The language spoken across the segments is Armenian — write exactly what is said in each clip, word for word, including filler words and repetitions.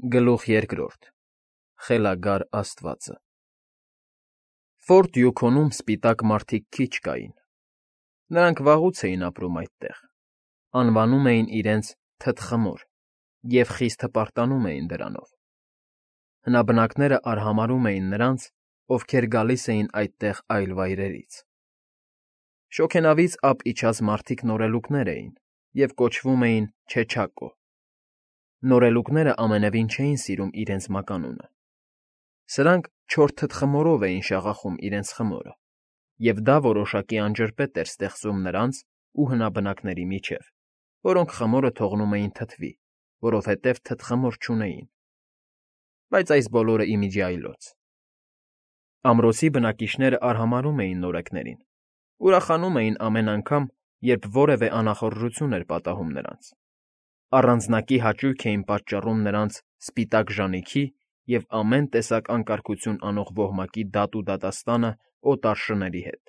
Գլուխ երկրորդ Խելագար աստվածը Ֆորտ Յուքոնում սպիտակ մարդիկ քիչ կային. նրանք վաղուց էին ապրում այդտեղ, անվանում էին իրենց թթխմոր և խիստ հպարտանում էին դրանով. հնաբնակները արհամարհում էին նրանց, ովքեր գալիս էին այդտեղ այլ վայրերից. շոգենավից ափ իջած մարդիկ նորելուկներ էին և կոչվում էին Չեչակո. նորելուկները ամենևին չէին սիրում իրենց մականունը. սրանք չոր թթխմորով էին շաղախում իրենց խմորը, և դա որոշակի անջրպետ էր ստեղծում նրանց ու հնաբնակների միջև, որոնք խմորը թողնում էին թթվի, որովհետև թթխմոր չունեին. բայց այս բոլորը ի միջի այլոց. ամրոցի բնակիչներն արհամարհում էին նորեկներին, ուրախանում էին ամեն անգամ, երբ որևէ անախորժություն էր պատահում նրանց, առանձնակի հաճույք էին պատճառում նրանց սպիտակ ժանիքի և ամեն տեսակ անկարգություն անող ոհմակի դատ ու դատաստանը օտար շների հետ.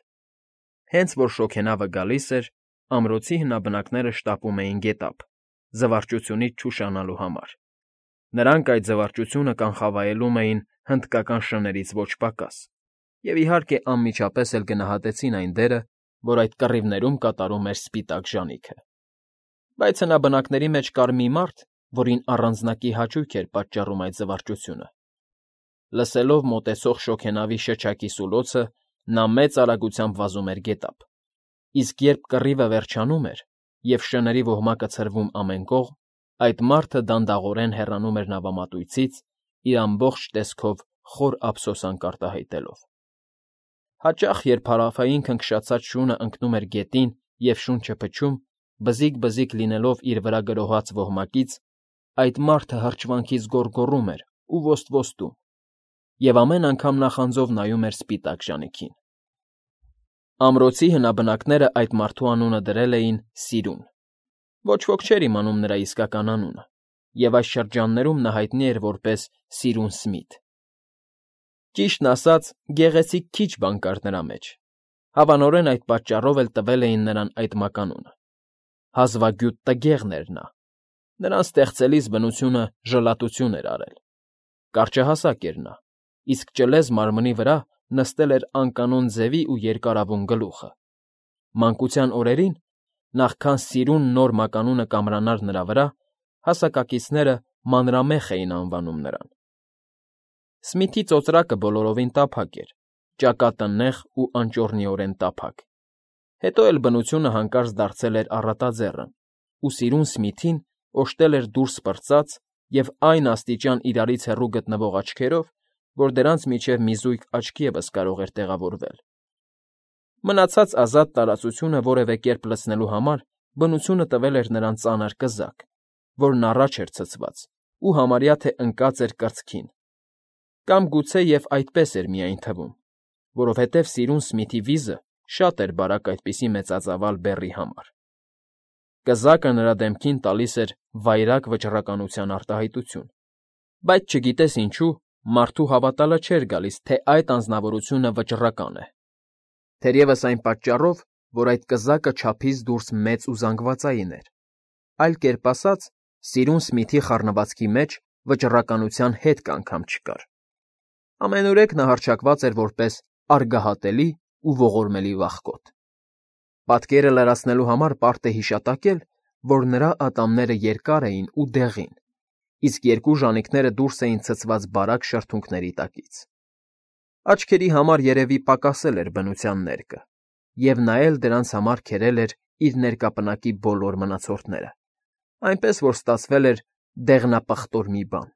հենց որ շոգենավը գալիս էր, ամրոցի հնաբնակները շտապում էին գետափ, զվարճությունից չուշանալու համար. նրանք այդ զվարճությունը կանխավայելում էին հնդկական շներից ոչ պակաս և, իհարկե, անմիջապես էլ գնահատեցին այն դերը, որ այդ կռիվներում կատարում էր սպիտակ ժանիքը. բայց հնաբնակների մեջ կար մի մարդ, որին առանձնակի հաճույք էր պատճառում այդ զվարճությունը. լսելով մոտեցող շոգենավի շչակի սուլոցը, նա մեծ արագությամբ վազում էր գետափ, իսկ երբ կռիվը վերջանում էր և շների ոհմակը ցրվում ամեն կողմ, այդ մարդը դանդաղորեն հեռանում էր նավամատույցից, իր ամբողջ տեսքով խոր ափսոսանք արտահայտելով. հաճախ, երբ հարավային քնքշացած շունը ընկնում էր գետին և շունչը փչում, բզիկ֊բզիկ լինելով իր վրա գրոհած ոհմակից, այդ մարդը հրճվանքից գոռգոռում էր ու ոստվոստում, և ամեն անգամ նախանձով նայում էր սպիտակ ժանիքին. ամրոցի հնաբնակներն այդ մարդու անունը դրել էին Սիրուն. ոչ ոք չէր իմանում նրա իսկական անունը, և այս շրջաններում նա հայտնի էր որպես Սիրուն Սմիթ. ճիշտն ասած, գեղեցիկ քիչ բան կար նրա մեջ, հավանորեն այդ պատճառով էլ տվել էին նրան այդ մականունը. հազվագյուտ տգեղն էր նա, նրան ստեղծելիս բնությունը ժլատություն էր արել. կարճահասակ էր նա, իսկ ճլեզ մարմնի վրա նստել էր անկանոն ձևի ու երկարավուն գլուխը. մանկության օրերին, նախքան Սիրուն նոր մականունը կամրանար նրա վրա, հասակակիցները մանրամեխ էին անվանում նրան. Սմիթի ծոծրակը բոլորովին տափակ էր, ճակատը նեղ ու անճոռնիորեն տափակ. հետո էլ բնությունը հանկարծ դարձել էր առատաձեռն, ու Սիրուն Սմիթին օժտել էր դուրս պրծած և այն աստիճան իրարից հեռու գտնվող աչքերով, որ դրանց միջև մի զույգ աչք ևս կարող էր տեղավորվել. մնացած ազատ տարածությունը որևէ կերպ լցնելու համար բնությունը տվել էր նրան ծանր կզակ, որն առաջ էր ցցված ու համարյա թե ընկած էր կրծքին, կամ գուցե և այդպես էր միայն թվում, որովհետև Սիրուն Սմիթի վիզը շատ էր բարակ այդպիսի մեծածավալ բեռի համար. կզակը նրա դեմքին տալիս էր վայրագ վճռականության արտահայտություն, բայց չգիտես ինչու, մարդու հավատալը չէր գալիս, թե այդ անձնավորությունը վճռական է, թերևս այն պատճառով, որ այդ կզակը չափից դուրս մեծ ու զանգվածային էր, այլ կերպ ասած, Սիրուն Սմիթի խառնվածքի մեջ վճռականության հետք անգամ չկար. ամենուրեք նա հռչակված էր որպես արգահատելի ու ողորմելի վախկոտ. պատկերը լրացնելու համար պարտ է հիշատակել, որ նրա ատամները երկար էին ու դեղին, իսկ երկու ժանիքները դուրս էին ցցված բարակ շրթունքների տակից. աչքերի համար երևի պակասել էր բնության ներկը, և նա էլ դրանց համար քերել էր իր ներկապնակի բոլոր մնացորդները, այնպես որ ստացվել էր դեղնապղտոր մի բան.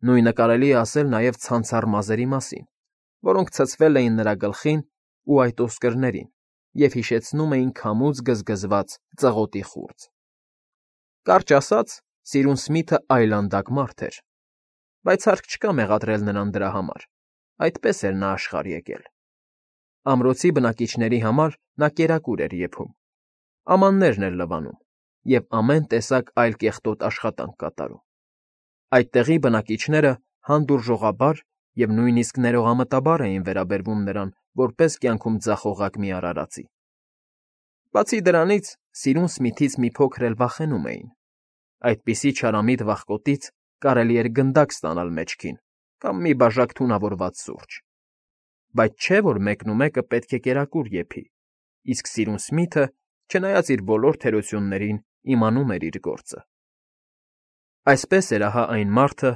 նույնը կարելի է ասել նաև ցանցառ մազերի մասին, որոնք ցցվել էին նրա գլխին ու այդ ոսկրներին և հիշեցնում էին քամուց գզգզված ծղոտի խուրձ. կարճ ասած, Սիրուն Սմիթը այլանդակ մարդ էր, բայց հարկ չկա մեղադրել նրան դրա համար, այդպես էր նա աշխարհ եկել. ամրոցի բնակիչների համար նա կերակուր էր եփում, ամաններն էր լվանում և ամեն տեսակ այլ կեղտոտ աշխատանք կատարում. այդտեղի բնակիչները հանդուրժողաբար և նույնիսկ ներողամտաբար էին վերաբերվում նրան որպես կյանքում ձախողակ մի արարածի. բացի դրանից, Սիրուն Սմիթից մի փոքր էլ վախենում էին. այդպիսի չարամիտ վախկոտից կարելի էր գնդակ ստանալ մեջքին կամ մի բաժակ թունավորված սուրճ, բայց չէ՞ որ մեկնումեկը պետք է կերակուր եփի, իսկ սիրուն Սմիթը, չնայած իր բոլոր թերություններին, իմանում էր իր գործը։ Այսպես էր ահա այն մարդը,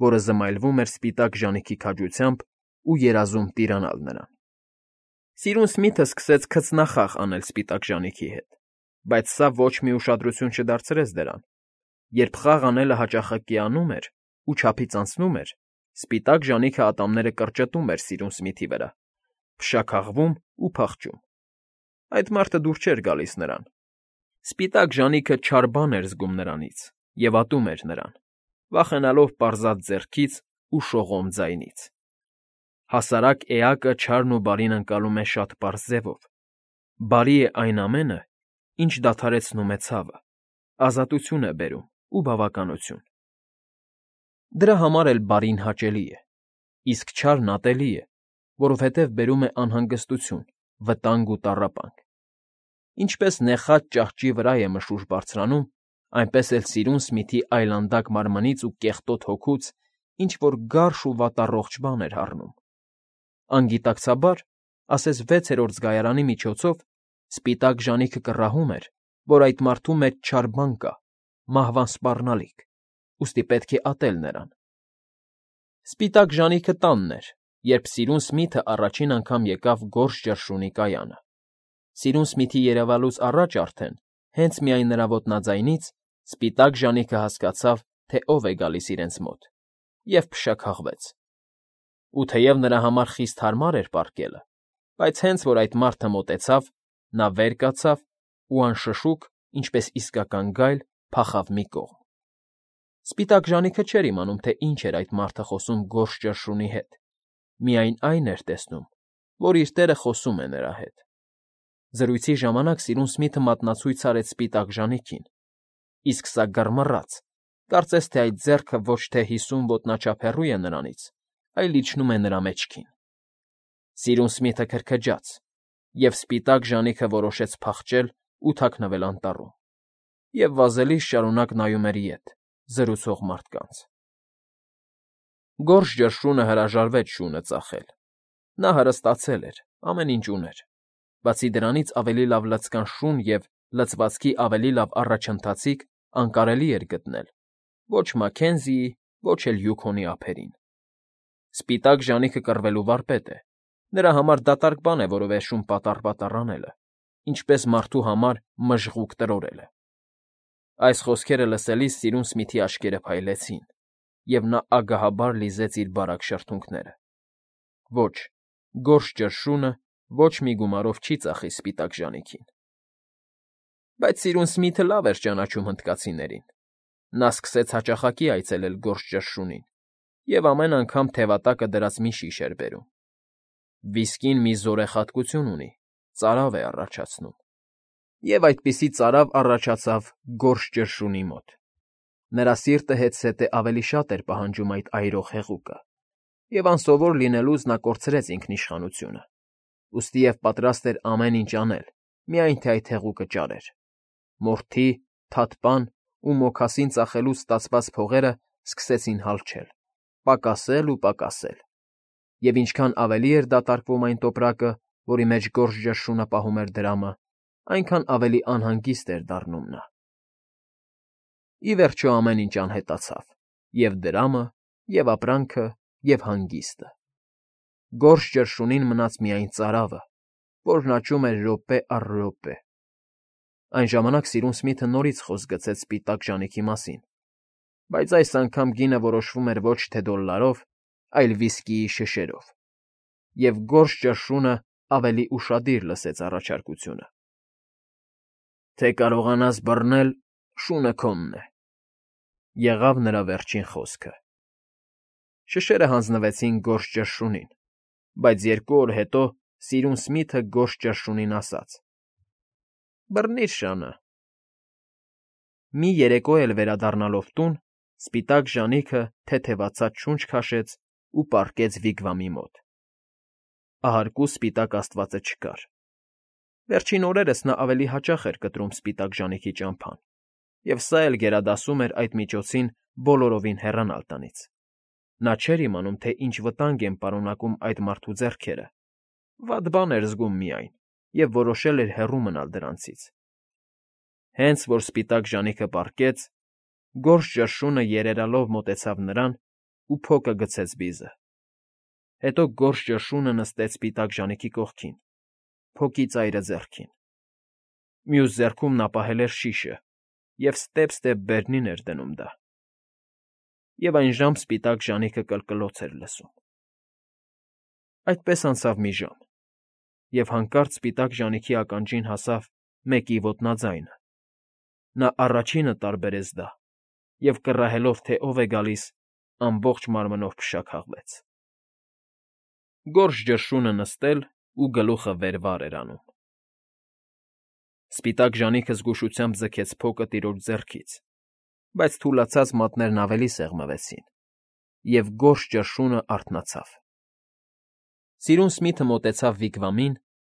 որը զմայլվում էր սպիտակ ժանիքի քաջությամբ ու երազում տիրանալ նրան։ Սիրուն Սմիթը սկսեց քծնախաղ անել սպիտակ ժանիքի հետ, բայց սա ոչ մի ուշադրություն չդարձրեց դրան։ Երբ խաղ անելը հաճախակի անում էր ու չափից անցնում էր, սպիտակ ժանիքը ատամները կրճտում էր սիրուն Սմիթի վրա, փշաքաղվում ու փախչում։ Այդ մարդը դուր չէր գալիս նրան։ Սպիտակ ժանիքը չար բան էր զգում նրանից և ատում էր նրան, վախենալով պարզած ձեռքից ու շողոմ ձայնից։ Հասարակ էակը չարն ու բարին ընկալում է շատ պարզ ձևով. բարի է այն ամենը, ինչ դադարեցնում է ցավը, ազատություն է բերում ու բավականություն։ Դրա համար էլ բարին հաճելի է, իսկ չարն ատելի է, որովհետև բերում է անհանգստություն, վտանգ ու տառապանք։ Ինչպես նեխած ճահճի վրա է մշուշ բարձրանում, այնպես էլ սիրուն Սմիթի այլանդակ մարմնից ու կեղտոտ հոգուց ինչ֊որ գարշ ու վատառողջ բան էր հառնում։ Անգիտակցաբար, ասես վեցերորդ զգայարանի միջոցով, սպիտակ ժանիքը կռահում էր, որ այդ մարդու մեջ չար բան կա, մահվան սպառնալիք, ուստի պետք է ատել նրան։ Սպիտակ ժանիքը տանն էր, երբ սիրուն Սմիթը առաջին անգամ եկավ Գորշ ճռշունի կայանը։ Սիրուն Սմիթի երևալուց առաջ արդեն, հենց միայն նրա ոտնաձայնից, սպիտակ ժանիքը հասկացավ, թե ով է գալիս իրենց մոտ, և փշաքաղվեց։ Ու թեև նրա համար խիստ հարմար էր պառկելը, բայց հենց որ այդ մարդը մոտեցավ, նա վեր կացավ ու անշշուկ, ինչպես իսկական գայլ, փախավ մի կողմ։ Սպիտակ ժանիքը չէր իմանում, թե ինչ էր այդ մարդը խոսում Գորշ ճռշունի հետ, միայն այն էր տեսնում, որ իր տերը խոսում է նրա հետ։ Զրույցի ժամանակ սիրուն Սմիթը մատնացույց արեց սպիտակ ժանիքին, իսկ սա գռմռաց, կարծես թե այդ ձեռքը ոչ թե հիսուն ոտնաչափ հեռու է նրանից, այլ իջնում է նրա մեջքին։ Սիրուն Սմիթը քրքջաց, և սպիտակ ժանիքը որոշեց փախչել ու թաքնվել անտառում, և վազելիս շարունակ նայում էր ետ, զրուցող մարդկանց։ Գորշ ճռշունը հրաժարվեց շունը ծախել։ Նա հարստացել էր, ամեն ինչ ուներ, բացի դրանից ավելի լավ լցկան շուն և լցվածքի ավելի լավ առաջընթացիկ անկարելի էր գտնել ոչ Մաքենզիի, ոչ էլ Յուքոնի ափերին։ Սպիտակ ժանիքը կռվելու վարպետ է, նրա համար դատարկ բան է որևէ շուն պատառ֊պատառ անելը, ինչպես մարդու համար մժղուկ տրորելը։ Այս խոսքերը լսելիս սիրուն Սմիթի աչքերը փայլեցին, և նա ագահաբար լիզեց իր բարակ շրթունքները։ Ոչ, Գորշ ճռշունը ոչ մի գումարով չի ծախի սպիտակ ժանիքին։ Բայց սիրուն Սմիթը լավ էր ճանաչում հնդկացիներին։ Նա սկսեց հաճախակի այցելել Գորշ ճռշունին և ամեն անգամ թևատակը դրած մի շիշ էր բերում։ Վիսկին մի զորեղատկություն ունի, ծարավ է առաջացնում։ Եվ այդպիսի ծարավ առաջացավ Գորշ ճռշունի մոտ։ Նրա սիրտը հետզհետե ավելի շատ էր պահանջում այդ այրող հեղուկը, և անսովոր լինելուց նա կորցրեց ինքնիշխանությունը, ուստի և պատրաստ էր ամեն ինչ անել, միայն թե այդ հեղուկը ճարեր։ Մորթի, թաթպան ու մոքասին ծախելուց ստացված փողերը սկսեցին հալչել, պակասել ու պակասել, և ինչքան ավելի էր դատարկվում այն տոպրակը, որի մեջ Գորշ ճռշունը պահում էր դրամը, այնքան ավելի անհանգիստ էր դառնում նա։ Ի վերջո ամեն ինչ անհետացավ, և դրամը, և ապրանքը, և հանգիստը։ Գորշ ճռշունին մնաց միայն ծարավը, որն աճում էր րոպե առ րոպե։ Այն ժամանակ սիրուն Սմիթը նորից խոսք գցեց սպիտակ ժանիքի մասին, բայց այս անգամ գինը որոշվում էր ոչ թե դոլլարով, այլ վիսկիի շշերով, և Գորշ ճռշունը ավելի ուշադիր լսեց առաջարկությունը։ «Թե կարողանաս բռնել, շունը քոնն է», եղավ նրա վերջին խոսքը։ Շշերը հանձնվեցին Գորշ ճռշունին, բայց երկու օր հետո սիրուն Սմիթը Գորշ ճռշունին ասաց. «Բռնիր շանը»։ Մի երեկո էլ վերադառնալով տուն, սպիտակ ժանիքը թեթևացած շունչ քաշեց ու պառկեց վիգվամի մոտ։ Ահարկու սպիտակ աստվածը չկար։ Վերջին օրերս նա ավելի հաճախ էր կտրում սպիտակ ժանիքի ճամփան, և սա էլ գերադասում էր այդ միջոցին բոլորովին հեռանալ տնից։ Նա չէր իմանում, թե ինչ վտանգ են պարունակում այդ մարդու ձեռքերը, վատ բան էր զգում միայն և որոշել էր հեռու մնալ դրանցից։ Հենց որ սպիտակ ժանիքը պառկեց, գորշ ճռշունը երերալով մոտեցավ նրան ու փոկը գցեց բիզը։ Հետո գորշ ճռշունը նստեց սպիտակ ժանիքի կողքին, փոկի ծայրը ձեռքին։ Մյուս ձեռքում նա պահել էր շիշը և ստեպ֊ստեպ բերնին էր դնում դա։ Եվ այն ժամ սպիտակ ժանիքը կլկլոց էր լսում։ Այդպես անցավ մի ժամ, և հանկարծ սպիտակ ժանիքի ականջին հասավ մեկի ոտնաձայնը։ Նա առաջինը տարբերեց դա և, կռահելով, թե ով է գալիս, ամբողջ մարմնով փշաքաղվեց։ Գորշ ճռշունը նստել ու գլուխը վեր վար էր անում։ Սպիտակ ժանիքը զգուշությամբ ձգեց փոկը տիրոջ ձեռքից, բայց թուլացած մատներն ավելի սեղմվեցին, և գորշ ճռշունը արթնացավ։ Սիրուն Սմիթը մոտեցավ Վիգվամին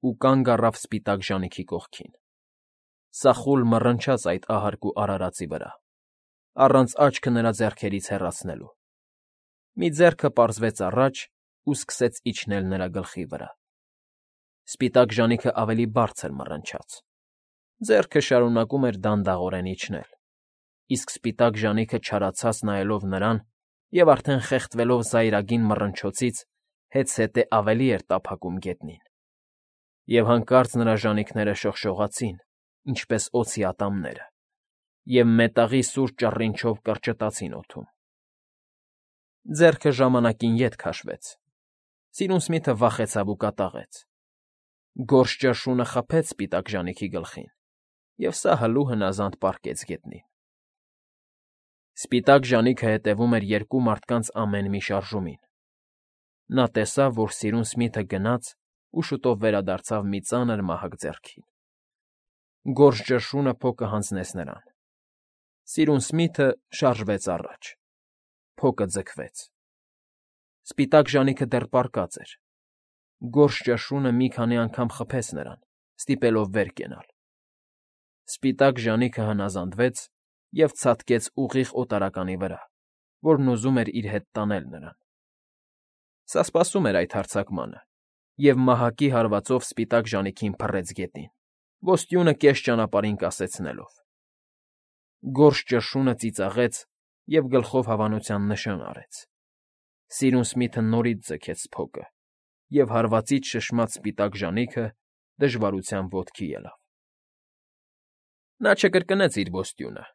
ու կանգ առավ սպիտակ ժանիքի կողքին։ Սախոլ մռնչաց այդ ահարգ ու արարածի վրա, առանց աչքը նրա ձեռքերից հեռացնելու։ Մի ձեռքը պարզվեց առաջ ու սկսեց իջնել նրա գլխի վրա։ Սպիտակ ժանիքը ավելի բարձր մռնչաց։ Ձեռքը շարունակում էր դանդաղորեն իջնել, իսկ սպիտակ ժանիքը չարացած նայելով նրան և արդեն խեղդվելով զայրագին մռնչոցից, հետզհետե ավելի էր տափակում գետնին։ Եվ հանկարծ նրա ժանիքները շողշողացին, ինչպես օձի ատամները, և մետաղի սուր ճառինչով կրճտացին օդում։ Ձեռքը ժամանակին ետ քաշվեց։ Սիրուն Սմիթը վախեցավ ու կատաղեց։ Գորշ ճռշունը խփեց սպիտակ ժանիքի գլխին, և սա հլու հնազանդ պառկեց գետնին։ Սպիտակ ժանիքը հետևում էր երկու մարդկանց ամեն մի շարժումին։ Նա տեսավ, որ սիրուն Սմիթը գնաց ու շուտով վերադարձավ մի ծանր մահակ ձեռքին։ Գորշ ճռշունը փոկը հանձնեց նրան։ Սիրուն Սմիթը շարժվեց առաջ։ Փոկը ձգվեց։ Սպիտակ ժանիքը դեռ պառկած էր։ Գորշ ճռշունը մի քանի անգամ խփեց նրան, ստիպելով վեր կենալ։ Սպիտակ ժանիքը հնազանդվեց և ցատկեց ուղիղ օտարականի վրա, որն ուզում էր իր հետ տանել նրան։ Սա սպասում էր այդ հարձակմանը և մահակի հարվածով սպիտակ ժանիքին փռեց գետին, ոստյունը կես ճանապարհին կասեցնելով։ Գորշ ճռշունը ծիծաղեց և գլխով հավանության նշան արեց։ Սիրուն Սմիթը նորից ձգեց փոկը, և հարվածից շշմած սպիտակ ժանիքը դժվարությամբ ոտքի ելավ։ Նա չկրկնեց իր ոստյունը։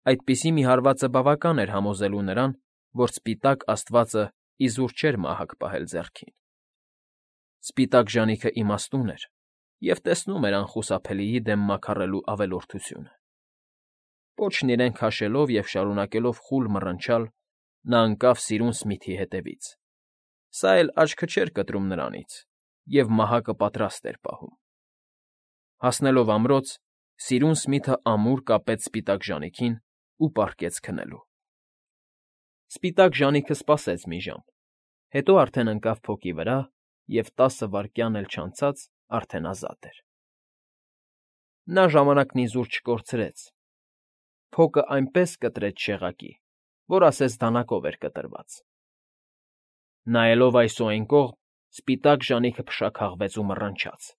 Այդպիսի մի հարվածը բավական էր համոզելու նրան, որ սպիտակ աստվածը իզուր չէր մահակ պահել ձեռքին։ Սպիտակ ժանիքը իմաստուն էր և տեսնում էր անխուսափելիի դեմ մաքարելու ավելորդությունը։ Պոչն իրեն քաշելով և շարունակելով խուլ մռնչալ՝ նա ընկավ սիրուն Սմիթի հետևից։ Սա էլ աչքը չէր կտրում նրանից և մահակը պատրաստ էր պահում։ Հասնելով ամրոց, սիրուն Սմիթը ամուր կապեց սպիտակ ժանիքին ու պառկեց քնելու։ Սպիտակ ժանիքը սպասեց մի ժամ, հետո արդեն ընկավ փոկի վրա և տասը վայրկյան էլ չանցած արդեն ազատ էր։ Նա ժամանակն իզուր չկորցրեց։ Փոկը այնպես կտրեց շեղակի, որ ասես դանակով էր կտրված։ Նայելով այս ու այն կողմ, սպիտակ ժանիքը փշաքաղվեց ու մռնչաց,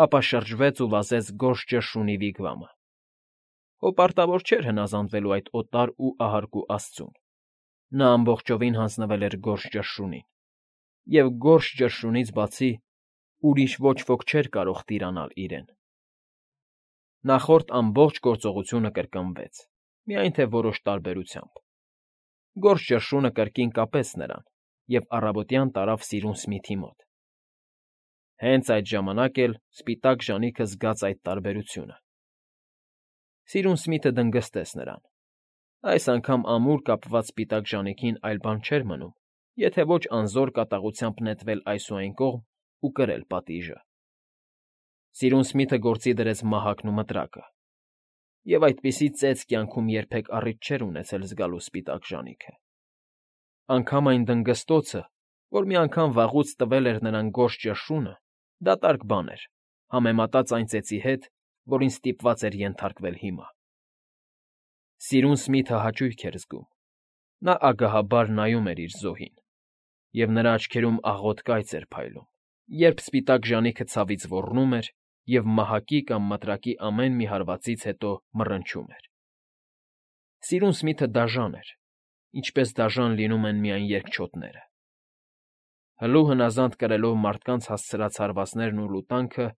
ապա շրջվեց ու վազեց գորշ ճռշունի Վիգվամը։ Հոպարտավոր չէր հնազանդվելու այդ օտար ու ահարկու աստծուն։ Նա ամբողջովին հանձնվել էր գորշ ճռշունին, և գորշ ճռշունից բացի ուրիշ ոչ ոք չէր կարող տիրանալ իրեն։ Նախորդ ամբողջ գործողությունը կրկնվեց, միայն թե որոշ տարբերությամբ։ Գորշ ճռշունը կրկին կապեց նրան և առավոտյան տարավ սիրուն Սմիթի մոտ։ Հենց այդ ժամանակ էլ սպիտակ ժանիքը զգաց այդ տարբերությունը։ Սիրուն Սմիթը դնգստեց նրան։ Այս անգամ ամուր կապված սպիտակ ժանիքին այլ բան չէր մնում, եթե ոչ անզոր կատաղությամբ նետվել այս ու այն կողմ ու կրել պատիժը։ Սիրուն Սմիթը գործի դրեց մահակն ու մտրակը, և այդպիսի ծեծ կյանքում երբեք առիթ չէր ունեցել զգալու սպիտակ ժանիքը։ Անգամ այն դնգստոցը, որ մի անգամ վաղուց տվել էր նրան գորշ ճռշունը, դատարկ բան էր, համեմատած այն ծեծի հետ, որին ստիպված էր ենթարկվել հիմա։ Սիրուն Սմիթը հաճույք էր զգում։ Նա ագահաբար նայում էր իր զոհին, և նրա աչքերում աղոտ կայծ էր փայլում, երբ սպիտակ ժանիքը ցավից ոռնում էր և մահակի կամ մտրակի ամեն մի հարվածից հետո մռնչում էր։ Սիրուն Սմիթը դաժան էր, ինչպես դաժան լինում են միայն երկչոտները։ Հլու հնազանդ կրելով մարդկանց հասցրած հարվածներն ու լուտանքը,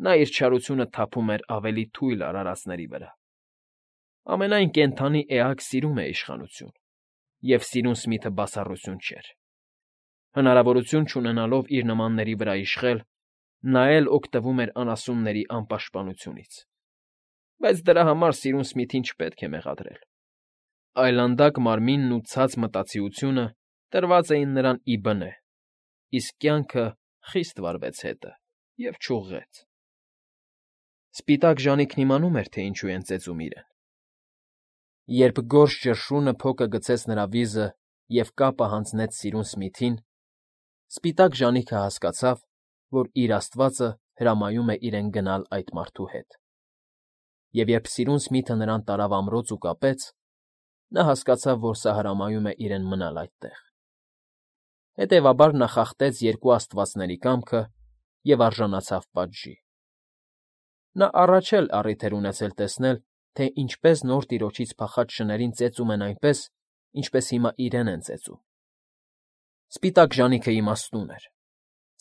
նա իր չարությունը թափում էր ավելի թույլ արարածների վրա։ Ամենայն կենդանի էակ սիրում է իշխանություն, և սիրուն Սմիթը բացառություն չէր։ Հնարավորություն չունենալով իր նմանների վրա իշխել, նա էլ օգտվում էր անասունների անպաշտպանությունից։ Բայց դրա համար սիրուն Սմիթին չպետք է մեղադրել։ Այլանդակ մարմինն ու ցած մտածիությունը տրված էին նրան ի բնե, իսկ կյանքը խիստ վարվեց հետը և չուղղեց։ Սպիտակ ժանիքն իմանում էր, թե ինչու են ծեծում իրեն։ Երբ գորշ ճռշունը փոկը գցեց նրա վիզը և կապը հանձնեց սիրուն Սմիթին, սպիտակ ժանիքը հասկացավ, որ իր աստվածը հրամայում է իրեն գնալ այդ մարդու հետ։ Եվ երբ սիրուն Սմիթը նրան տարավ ամրոց ու կապեց, նա հասկացավ, որ սա հրամայում է իրեն մնալ այդտեղ։ Հետևաբար նա խախտեց երկու աստվածների կամքը և արժանացավ պատժի։ Նա առաջ էլ առիթ էր ունեցել տեսնել, թե ինչպես նոր տիրոջից փախած շներին ծեծում են այնպես, ինչպես հիմա իրեն են ծեծում։ Սպիտակ ժանիքը իմաստուն էր,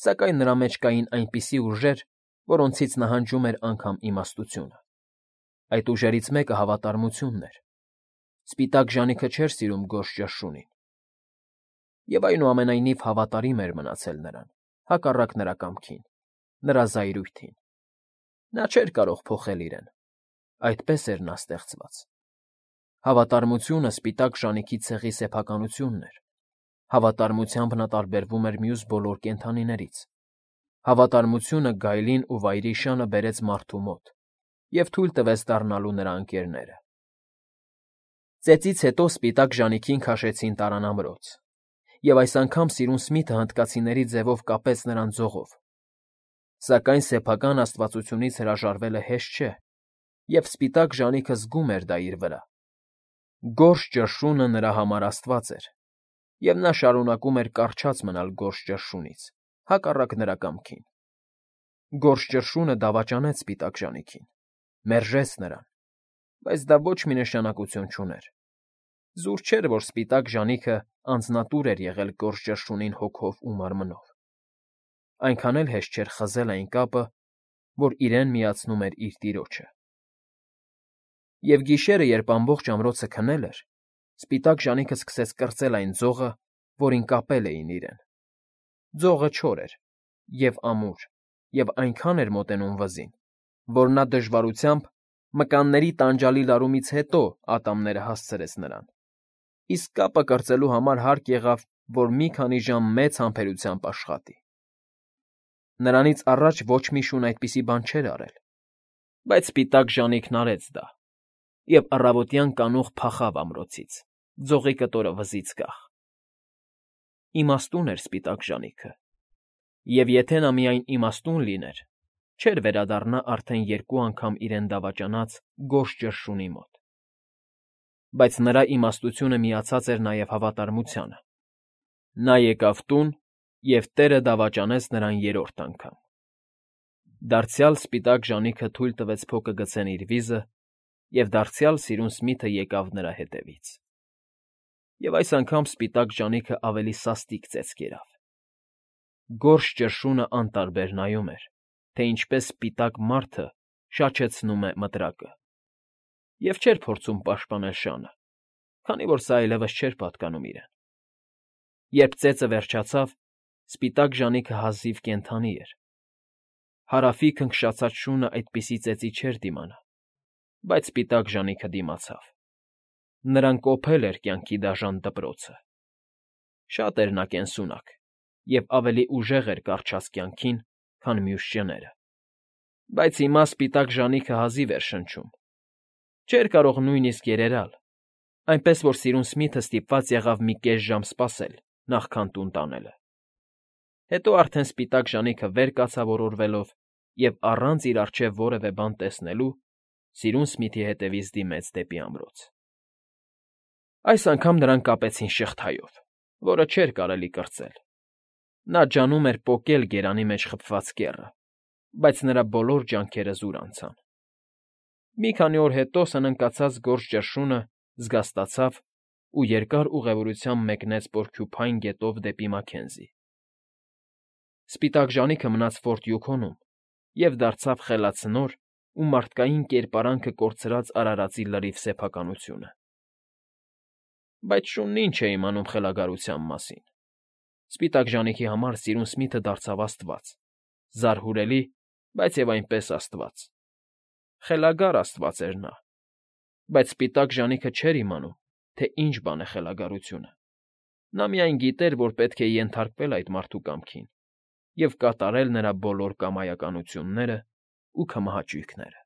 սակայն նրա մեջ կային այնպիսի ուժեր, որոնցից նահանջում էր անգամ իմաստությունը։ Այդ ուժերից մեկը հավատարմությունն էր։ Սպիտակ ժանիքը չէր սիրում գորշ ճռշունին, և այնուամենայնիվ հավատարիմ էր մնացել նրան, հակառակ նրա կամքին, նրա զայրույթին։ Նա չէր կարող փոխել իրեն, այդպես էր նա ստեղծված։ Հավատարմությունը սպիտակ ժանիքի ցեղի սեփականությունն էր։ Հավատարմությամբ նա տարբերվում էր մյուս բոլոր կենդանիներից։ Հավատարմությունը գայլին ու վայրի շանը բերեց մարդու մոտ և թույլ տվեց դառնալու նրա ընկերները։ Ծեծից հետո սպիտակ ժանիքին քաշեցին տարանամրոց, և այս անգամ սիրուն Սմիթը հնդկացիների ձևով կապեց նրան ձողով։ Սակայն սեփական աստվածությունից հրաժարվելը հեշտ չէ, և սպիտակ ժանիքը զգում էր դա իր վրա։ Գորշ ճռշունը նրա համար աստված էր, և նա շարունակում էր կառչած մնալ գորշ ճռշունից, հակառակ նրա կամքին։ Գորշ ճռշունը դավաճանեց սպիտակ ժանիքին, մերժեց նրան, բայց դա ոչ մի նշանակություն չուներ։ Զուր չէր, որ սպիտակ ժանիքը անձնատուր էր եղել գորշ ճռշունին հոգով ու մարմնով։ Այնքան էլ հեշտ չէր խզել այն կապը, որ իրեն միացնում էր իր տիրոջը։ Եվ գիշերը, երբ ամբողջ ամրոցը քնել էր, սպիտակ ժանիքը սկսեց կրծել այն ձողը, որին կապել էին իրեն։ Ձողը չոր էր և ամուր և այնքան էր մոտենում վզին, որ նա դժվարությամբ, մկանների տանջալի լարումից հետո ատամները հասցրեց նրան, իսկ կապը կրծելու համար հարկ եղավ, որ մի քանի ժամ մեծ համբերությամբ աշխատի։ Նրանից առաջ ոչ մի շուն այդպիսի բան չէր արել, բայց սպիտակ ժանիքն արեց դա, և առավոտյան կանուխ փախավ ամրոցից, ձողի կտորը վզից կախ։ Իմաստուն էր սպիտակ ժանիքը, և եթե նա միայն իմաստուն լիներ, չէր վերադառնա արդեն երկու անգամ իրեն դավաճանած գորշ ճռշունի մոտ։ Բայց նրա իմաստությունը միացած էր նաև հավատարմությանը։ Նա եկավ տուն, և տեղը դավաճանեց նրան երրորդ անգամ։ Դարձյալ սպիտակ ժանիքը թույլ տվեց փոկը գցեն իր վիզը, և դարձյալ սիրուն Սմիթը եկավ նրա հետևից։ Եվ այս անգամ սպիտակ ժանիքը ավելի սաստիկ ծեծ կերավ։ Գորշ ճռշունը անտարբեր նայում էր, թե ինչպես սպիտակ մարդը շաչեցնում է մտրակը, և չէր փորձում պաշտպանել շանը, քանի որ սա այլևս չէր պատկանում իրեն։ Երբ ծեծը վերջացավ, սպիտակ ժանիքը հազիվ կենդանի էր։ Հարավի քնքշացած շունը այդպիսի ծեծի չէր դիմանա, բայց սպիտակ ժանիքը դիմացավ։ Նրան կոփել էր կյանքի դաժան դպրոցը։ Շատ էր նա կենսունակ և ավելի ուժեղ էր կառչած կյանքին, քան մյուս շները։ Բայց հիմա սպիտակ ժանիքը հազիվ էր շնչում։ Չէր կարող նույնիսկ երերալ, այնպես որ սիրուն Սմիթը ստիպված եղավ մի կես ժամ սպասել, նախքան տուն տանելը։ Հետո արդեն սպիտակ ժանիքը վեր կացավ օրորվելով և առանց իր առջև որևէ բան տեսնելու սիրուն Սմիթի հետևից դիմեց դեպի ամրոց։ Այս անգամ նրան կապեցին շղթայով, որը չէր կարելի կրծել. նա ջանում էր պոկել գերանի մեջ խփված կեռը, բայց նրա բոլոր ջանքերը զուր անցան։ Մի քանի օր հետո սնընկացած գորշ ճռշունը զգաստացավ ու երկար ուղևորությամբ մեկնեց պորկյուփայն գետով դեպի Մաքենզի։ Սպիտակ ժանիքը մնաց Ֆորտ Յուքոնում և դարձավ խելացնոր ու մարդկային կերպարանքը կորցրած արարածի լրիվ սեփականությունը։ Բայց շունն ինչ է իմանում խելագարության մասին։ Սպիտակ ժանիքի համար Սիրունսմիթը դարձավ աստված, զարհուրելի, բայց և այնպես աստված։ Խելագար աստված էր նա, բայց սպիտակ ժանիքը չէր իմանում, թե ինչ բան է խելագարությունը։ Նա միայն գիտեր, որ պետք է ենթարկվել այդ մարդու կամքին և կատարել նրա բոլոր կամայականություններն ու քմահաճույքները։